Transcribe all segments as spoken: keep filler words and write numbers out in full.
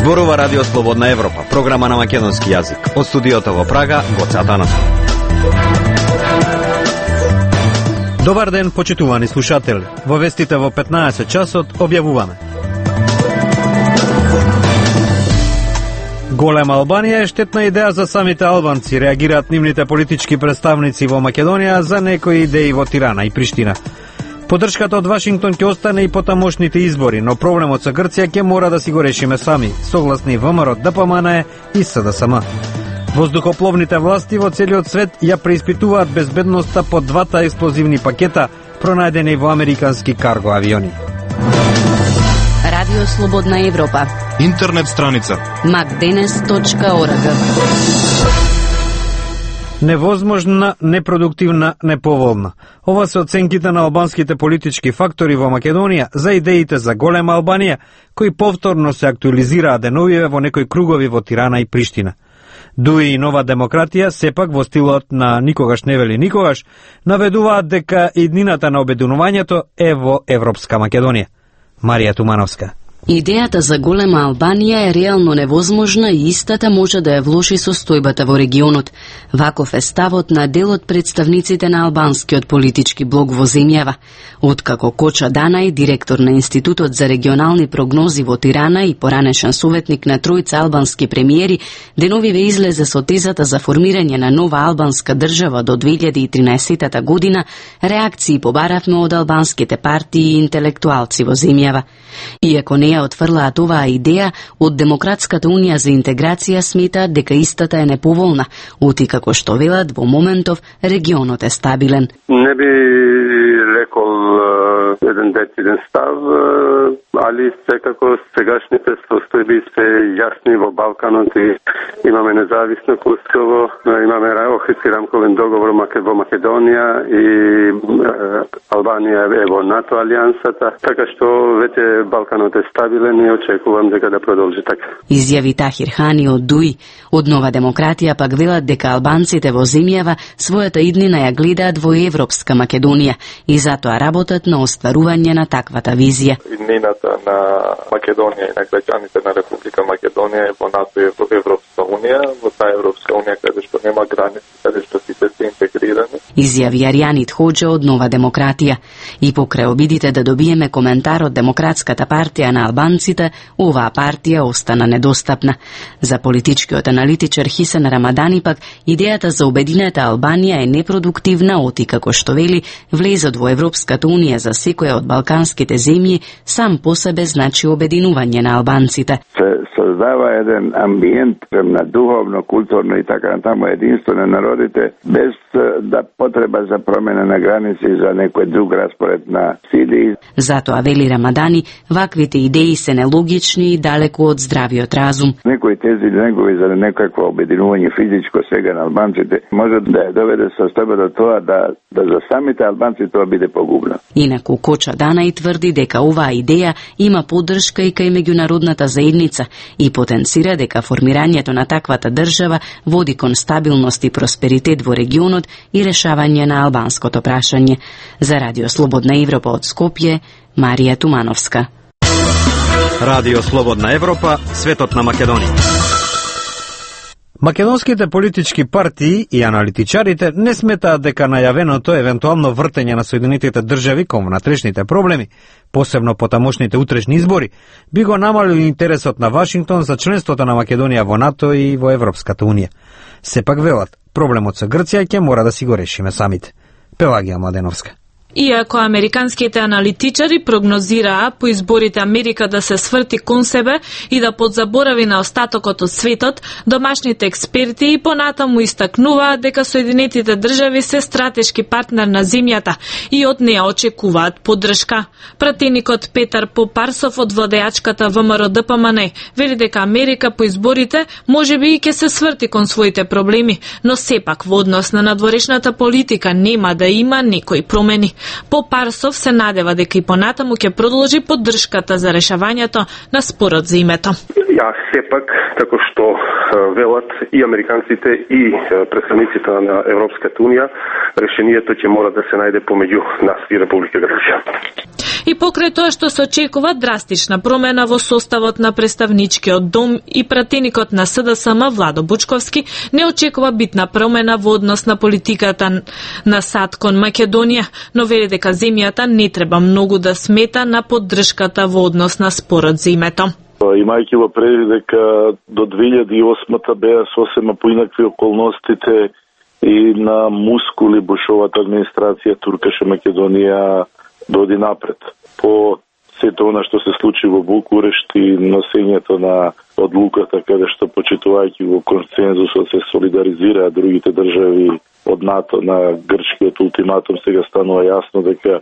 Зборува Радио Слободна Европа, програма на македонски јазик. Од студиото во Прага, Гоце Атанасов. Добар ден, почитувани слушатели. Во вестите во петнаесет часот објавуваме. Голема Албанија е штетна идеја за самите албанци, реагираат нивните политички представници во Македонија за некои идеи во Тирана и Приштина. Поддршката од Вашингтон ќе остане и потамошните избори, но проблемот со Грција ќе мора да си го решиме сами, согласни ВМРО, ДПМН и СДСМ. Воздухопловните власти во целиот свет ја преиспитуваат безбедноста по двата експлозивни пакета пронајдени во американски карго авиони. Радио Слободна Европа. Интернет страница макденес точка орг. Невозможна, непродуктивна, неповолна. Ова се оценките на албанските политички фактори во Македонија за идеите за голема Албанија, кои повторно се актуализираа деновиве во некои кругови во Тирана и Приштина. Дуи и Нова демократија, сепак во стилот на никогаш не вели никогаш, наведуваат дека иднината на обединувањето е во Европска Македонија. Марија Тумановска. Идејата за голема Албанија е реално невозможна и истата може да ја влоши состојбата во регионот. Ваков е ставот на дел од представниците на албанскиот политички блок во земјава. Откако Коча Данај, директор на Институтот за регионални прогнози во Тирана и поранешен советник на тројца албански премиери, деновиве излезе со тезата за формирање на нова албанска држава до две илјади и тринаесетта година, реакции побаравме од албанските партии и интелектуалци во земјава. Иако не ја отфрлаат оваа идеја, од Демократската унија за интеграција сметаат дека истата е неповолна, оти како што велат во моментов регионот е стабилен. Не би рекол еден дециден став, али секако сегашните состојби се јасни во Балканот и имаме независно Косово, имаме Охридски рамковен договор во Македонија и Албанија е во НАТО алијансата, така што веќе Балканот е стабилен и очекувам дека да продолжи така. Изјави Тахир Хани од Дуи. Од Нова демократија пак велат дека албанците во земјава својата иднина ја гледаат во Европска Македонија и затоа работат на остварување на таквата визија. Иднината на Македонија и на граѓаните на Република Македонија е во НАТО и во Европска унија, во таа Европска унија каде што нема граници, каде што сите се интегрирани. Изјави Арјанит Хоџа од Нова демократија. И покрај обидите да добиеме коментар од Демократската партија на албанците, оваа партија остана недостапна. За политичкиот аналитичар Хисен Рамадани пак, идејата за обединета Албанија е непродуктивна, оти како што вели, влезот во Европската унија за секоја од балканските земји сам по себе значи обединување на албанците. Се создава еден амбиент на духовно, културно и така натаму единство на народите, без да потреба за промена на граници за некој друг распоред на сили. Затоа вели Рамадани, ваквите идеи се нелогични и далеку од здравиот разум. Некои тези негови за некакво обединување физичко сега на албанците може да ја доведе состојба до тоа да, да за самите албанци тоа биде погубно. Инаку Коча Данај тврди дека оваа идеја има поддршка и кај меѓународната заедница и потенцира дека формирањето на таквата држава води кон стабилност и просперитет во регионот и решавање на албанското прашање. За Радио Слободна Европа од Скопје, Марија Тумановска. Радио Слободна Европа, светот на Македонија. Македонските политички партии и аналитичарите не сметаат дека најавеното евентуално вртење на Соединетите држави кон внатрешните проблеми, посебно по тамошните утрешни избори, би го намалил интересот на Вашингтон за членството на Македонија во НАТО и во Европската унија. Сепак велат, проблемот со Грција ќе мора да си го решиме самите. Пелагија Младеновска. Иако американските аналитичари прогнозираа по изборите Америка да се сврти кон себе и да подзаборави на остатокот од светот, домашните експерти и понатаму истакнуваат дека Соединетите држави се стратешки партнер на земјата и од неа очекуваат поддршка. Пратеникот Петар Попарсов од владеачката ВМРО ДПМН вели дека Америка по изборите можеби и ќе се сврти кон своите проблеми, но сепак во однос на надворешната политика нема да има некои промени. Попарсов се надева дека и понатаму ќе продолжи поддршката за решавањето на спорот за името. Ја сепак, како што велат и американците и представниците на Европската унија, решението ќе мора да се најде помеѓу нас и Република Грција. И покрај тоа што се очекува драстична промена во составот на представничкиот дом и пратеникот на С Д С М Владо Бучковски не очекува битна промена во однос на политиката на САД кон Македонија, но вели дека земјата не треба многу да смета на поддршката во однос на спорот за името. Имајќи во предвид дека до две илјади и осма беа сосема поинакви околностите и на мускули Бушовата администрација туркаше Македонија доди напред. По сето она што се случи во Букурешт и носењето на одлуката каде што почитувајќи го консензусот се солидаризираат другите држави од НАТО на грчкиот ултиматум, сега станува јасно дека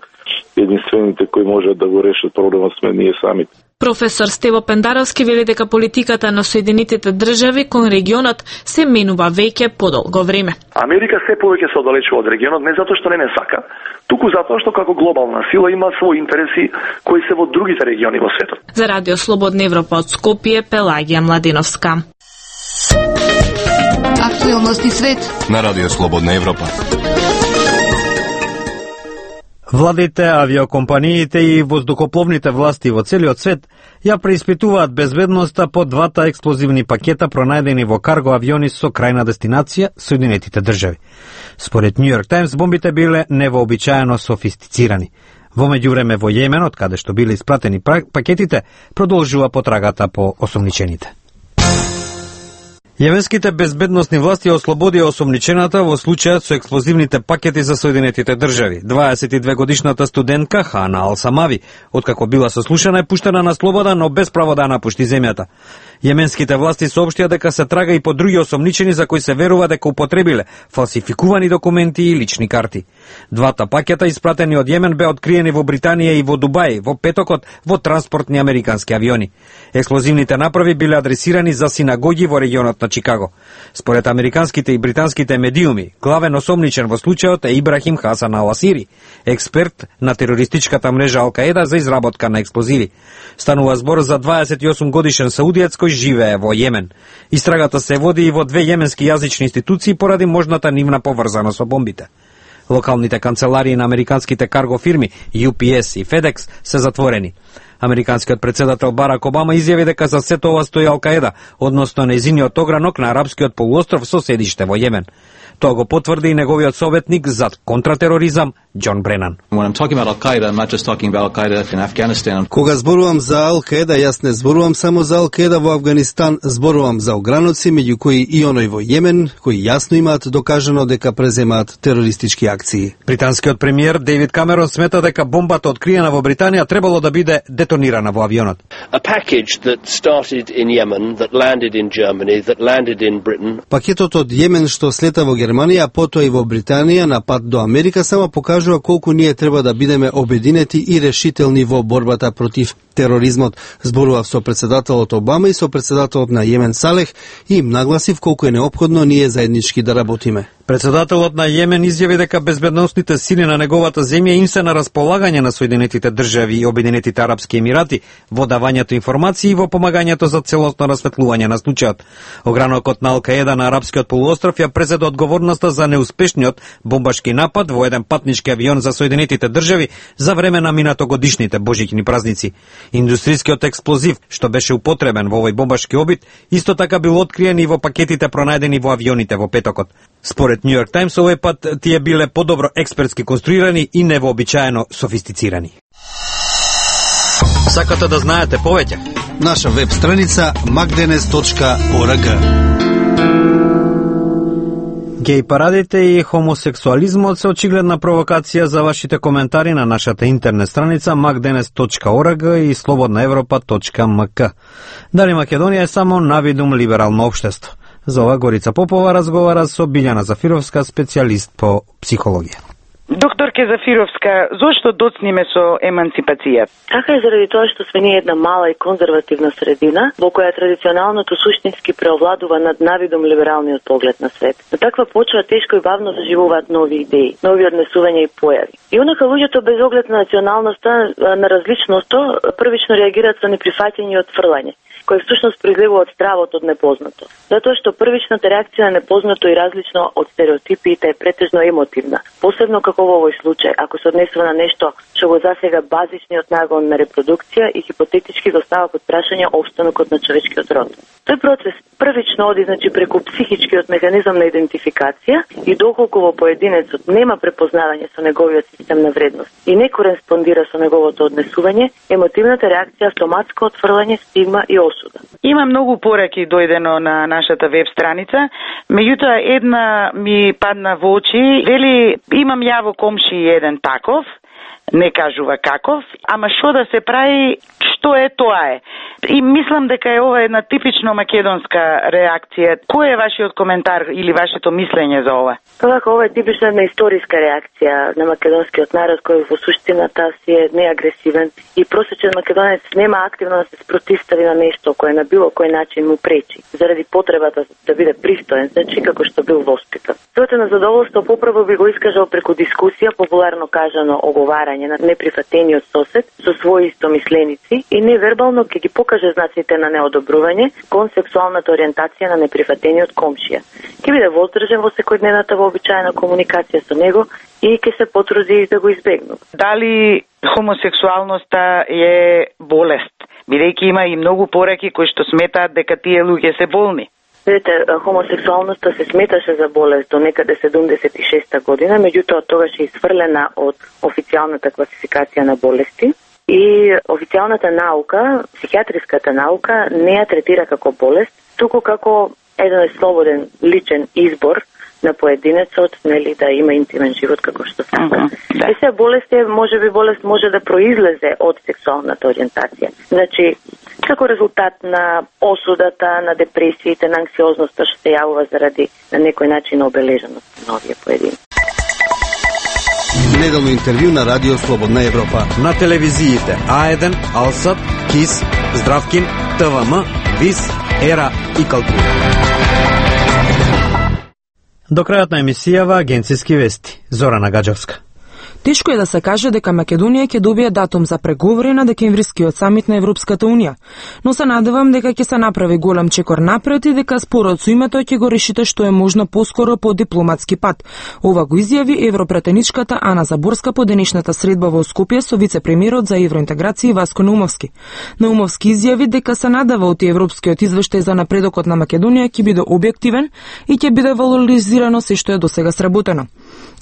единствените кои можат да го решат проблемот сме ние самите. Професор Стево Пендаровски вели дека политиката на Соединетите држави кон регионот се менува веќе подолго време. Америка се повеќе се оддалечува од регионот не затоа што не не сака, туку затоа што како глобална сила има своји интереси кои се во другите региони во светот. За Радио Слободна Европа од Скопје, Пелагија Младеновска. Актуелности свет на Радио Слободна Европа. Владите, авиокомпаниите и воздухопловните власти во целиот свет ја преиспитуваат безбедноста по двата експлозивни пакета пронајдени во карго авиони со крајна дестинација Соединетите држави. Според Нью Йорк Таймс, бомбите биле невообичаено софистицирани. Во меѓувреме во Јемен, од каде што биле испратени пакетите, продолжува потрагата по осомничените. Јеменските безбедносни власти ослободија осомничената во случајот со експлозивните пакети за Соединетите држави. дваесет и две годишната студентка Хана Ал-Самави, откако била сослушана, е пуштена на слобода, но без право да напушти земјата. Јеменските власти соопштија дека се трага и по други осомничени за кои се верува дека употребиле фалсификувани документи и лични карти. Двата пакета испратени од Јемен беа откриени во Британија и во Дубај во петокот во транспортни американски авиони. Експлозивните направи биле адресирани за синагоги во регионот на Чикаго. Според американските и британските медиуми, главен осомничен во случајот е Ибрахим Хасан Ал-Асири, експерт на терористичката мрежа Ал-Каеда за изработка на експлозиви. Станува збор за дваесет и осум годишен саудиец кој живее во Јемен. Истрагата се води и во две јеменски јазични институции поради можната нивна поврзаност со бомбите. Локалните канцеларии на американските карго фирми Ю Пи Ес и FedEx се затворени. Американскиот председател Барак Обама изјави дека за сето ова стои Ал-Каеда, односно нејзиниот огранок на арапскиот полуостров со седиште во Јемен. Тоа го потврди и неговиот советник за контратероризам Џон Бренан. Кога зборувам за Ал-Каеда, јас не зборувам само за Ал-Каеда во Афганистан, зборувам за ограноци, меѓу кои и оној во Јемен, кои јасно имаат докажано дека преземаат терористички акции. Британскиот премиер Дейвид Камерон смета дека бомбата откриена во Британија требало да биде детонирана во авионот. Пакетот од Јемен што слета во Германија, а потоа и во Британија на пат до Америка само покажува колку ние треба да бидеме обединети и решителни во борбата против тероризмот. Зборував со председателот Обама и со председателот на Јемен Салех и им нагласив колку е неопходно ние заеднички да работиме. Председателот на Јемен изјави дека безбедносните сили на неговата земја им се на располагање на Соединетите држави и Обединетите арапски емирати во давањето информации и во помагањето за целосно расветлување на случајот. Огранокот на Ал-Каеда на арапскиот полуостров ја презеде одговорноста за неуспешниот бомбашки напад во еден патнички авион за Соединетите држави за време на минатогодишните божиќни празници. Индустријскиот експлозив што беше употребен во овој бомбашки обид исто така бил откриен и во пакетите пронајдени во авионите во петокот. Според Нью Йорк Таймс, овој пат тие биле подобро експертски конструирани и невообичаено софистицирани. Сакате да знаете повеќе? Наша веб страница макденес точка орг. Геј парадите и хомосексуализмот се очигледна провокација за вашите коментари на нашата интернет страница макденес точка орг и слободна европа точка мк. Дали Македонија е само навидум либерално општество? За ова Горица Попова разговара со Билјана Зафировска, специјалист по психологија. Докторке Зафировска, зошто доцниме со емансипација? Така е заради тоа што сме ние една мала и конзервативна средина во која традиционалното суштински преовладува над навидом либералниот поглед на свет. На таква почва тешко и бавно заживуваат нови идеи, нови однесувања и појави. И онака луѓето без оглед на националноста, на различноста, првично реагираат со неприфаќање и отфрлање. кој всушност произлегува од стравот од непознато. Затоа што првичната реакција на непознато и различно од стереотипите е претежно емотивна, посебно како во овој случај, ако се однесува на нешто што го засега базичниот нагон на репродукција и хипотетички го става под прашање опстанокот на човечкиот род. Тој процес првично оди значи преку психичкиот механизам на идентификација и доколку во поединецот нема препознавање со неговиот систем на вредност и не кореспондира со неговото однесување, емотивната реакција автоматско отфрлање, стигма и осуда. Има многу пораки дојдено на нашата веб страница, меѓутоа една ми падна во очи, вели имам ја во комши еден таков, не кажува каков, ама што да се прави, што е тоа е. И мислам дека е ова една типично македонска реакција. Кој е вашиот коментар или вашето мислење за ова? Така, ова е типична една историска реакција на македонскиот народ кој во суштината си е неагресивен и просечен македонец нема активно да се спротивстави на нешто кое на било кој начин му пречи, заради потребата да биде пристоен, значи како што бил воспитан. Своето незадоволство поправо би го искажал преку дискусија, популарно кажано оговарање на неприфатениот сосед со своји истомисленици и невербално ќе ги покаже знаците на неодобрување кон сексуалната ориентација на неприфатениот комшија. Ќе биде воздржан во секојдневната вообичаена комуникација со него и ќе се потруди да го избегнува. Дали хомосексуалноста е болест? Бидејќи има и многу пораки кои што сметаат дека тие луѓе се болни. Видете, хомосексуалноста се сметаше за болест до некаде седумдесет и шеста година, меѓутоа тогаш е исфрлена од официјалната класификација на болести и официјалната наука, психијатриската наука, не ја третира како болест, туку како еден слободен личен избор на поединецот, нели, да има интимен живот како што сака. Да. И се болест е, може би болест може да произлезе од сексуалната ориентација. Значи, како резултат на осудата, на депресиите, на анксиозноста што се јавува заради на некој начин обележеност на овие поединци. Неделно интервју на Радио Слободна Европа. На телевизиите А еден, Алсат, КИС, Здравкин, ТВМ, ВИС, Ера и Калтура. До крајот на емисијава агенцијски вести. Зорана Гаджевска. Тешко е да се каже дека Македонија ќе добие датум за преговори на декемврискиот самит на Европската Унија, но се надевам дека ќе се направи голем чекор напред и дека спорот со името ќе го решите што е можно поскоро по дипломатски пат. Ова го изјави европретеничката Ана Заборска по денешната средба во Скопје со вице-премиерот за евроинтеграција Васко Наумовски. Наумовски изјави дека се надева од европскиот извештај за напредокот на Македонија ќе биде објективен и ќе биде валоризирано се што е досега сработено.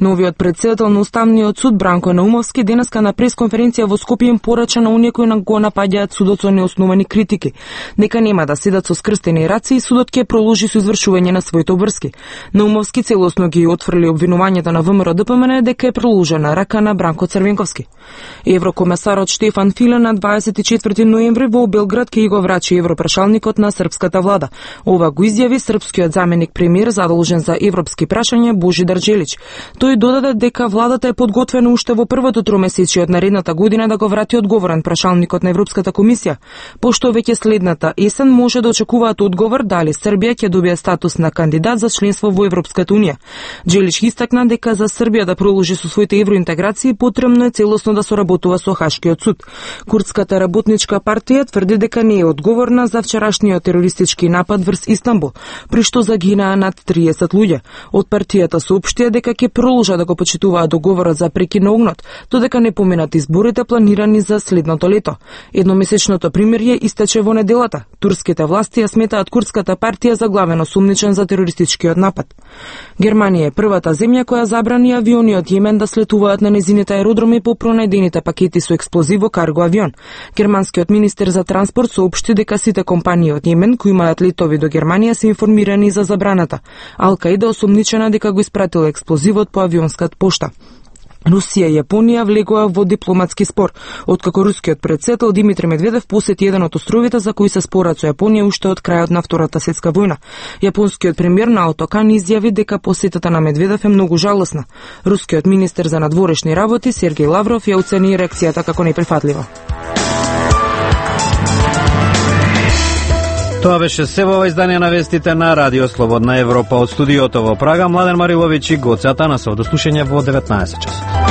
Новиот председател на Уставниот суд Бранко Наумовски денеска на пресконференција во Скопје им порача на оние кои го напаѓаат судот со неосновани критики, дека нема да седат со скрстени раци и судот ќе продолжи со извршување на своите обврски. Наумовски целосно ги отфрли обвинувањата на ВМРО Д П М Н дека е продолжена рака на Бранко Црвенковски. Еврокомесарот Штефан Филе на дваесет и четврти ноември во Белград ќе го врачи европрашалникот на српската влада. Ова го изјави српскиот заменик премиер задолжен за европски прашања Божидар Джелич. Тој додаде дека владата е подготвена уште во првото тромесечие од наредната година да го врати одговорен прашалникот на Европската комисија, пошто веќе следната есен може да очекуваат одговор дали Србија ќе добие статус на кандидат за членство во Европската Унија. Джелич истакна дека за Србија да продолжи со своите евроинтеграции потребно е целосно да соработува со Хашкиот суд. Курдската работничка партија тврди дека не е одговорна за вчерашниот терористички напад врз Истанбул, при што загинаа над триесет луѓе. Од партијата соопштија дека ќе продолжа да го почитуваат договорот за прекин на огнот, додека не поминат изборите планирани за следното лето. Едномесечното примирје истече во неделата. Турските власти ја сметаат курдската партија за главен осумничен за терористичкиот напад. Германија е првата земја која забрани авиони од Јемен да слетуваат на незините аеродроми по пронајдените пакети со експлозив во карго авион. Германскиот министер за транспорт соопшти дека сите компании од Јемен кои имаат летови до Германија се информирани за забраната. Ал-Каида осумничена дека го испратила експлозивот по авионската пошта. Русија и Јапонија влегоа во дипломатски спор, откако рускиот председател Димитри Медведев посети еден од островите за кои се спорат со Јапонија уште од крајот на Втората светска војна. Јапонскиот премиер Наото Кан изјави дека посетата на Медведев е многу жалосна. Рускиот министер за надворешни работи Сергеј Лавров ја оцени реакцијата како неприфатлива. Тоа беше се во издание на вестите на Радио Слободна Европа. Од студиото во Прага, Младен Мариловиќ и Гоце Атанасов. До слушање во деветнаесет часот.